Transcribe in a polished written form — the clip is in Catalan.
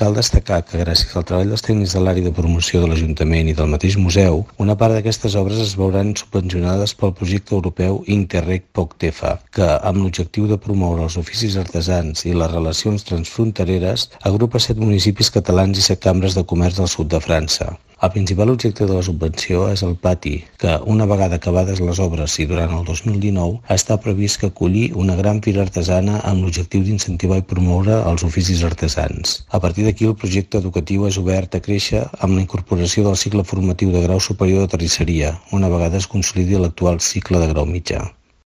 Cal destacar que gràcies al treball dels tècnics de l'àrea de promoció de l'Ajuntament i del mateix museu, una part d'aquestes obres es veuran subvencionades pel projecte europeu Interreg POCTEFA, que, amb l'objectiu de promoure els oficis artesans i les relacions transfrontereres, agrupa 7 municipis catalans i 7 cambres de comerç del sud de França. El principal objecte de la subvenció és el pati, que, una vegada acabades les obres i durant el 2019, està previst que acolli una gran fira artesana amb l'objectiu d'incentivar i promoure els oficis artesans. A partir d'aquí, el projecte educatiu és obert a créixer amb la incorporació del cicle formatiu de grau superior de terrisseria, una vegada es consolidi l'actual cicle de grau mitjà.